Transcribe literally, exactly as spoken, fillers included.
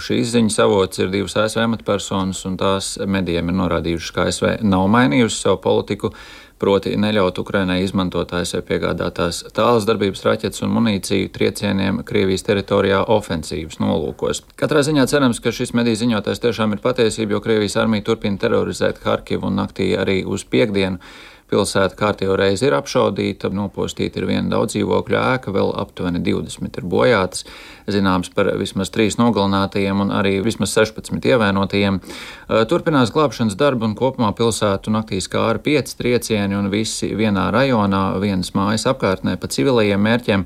Šīs ziņas avots ir divas A S V amatpersonas, un tās medijiem ir norādījušas, ka A S V nav mainījusi savu politiku, proti neļaut Ukrainai izmantot A S V piegādātās tālas darbības raķetes un munīciju triecieniem Krievijas teritorijā ofensīvas nolūkos. Katrā ziņā cerams, ka šis mediju ziņotājs tiešām ir patiesība, jo Krievijas armija turpina terorizēt Harkivu un naktī arī uz piekdienu. Pilsēta kārtējo reizi ir apšaudīta, nopostīta ir viena daudzdzīvokļu ēka, vēl aptuveni divdesmit ir bojātas, zināms par vismaz trīs nogalinātajiem un arī vismaz sešpadsmit ievainotajiem. Turpinās glābšanas darbu un kopumā pilsētu naktī skāra pieci triecieni un visi vienā rajonā, vienas mājas apkārtnē pa civilajiem mērķiem.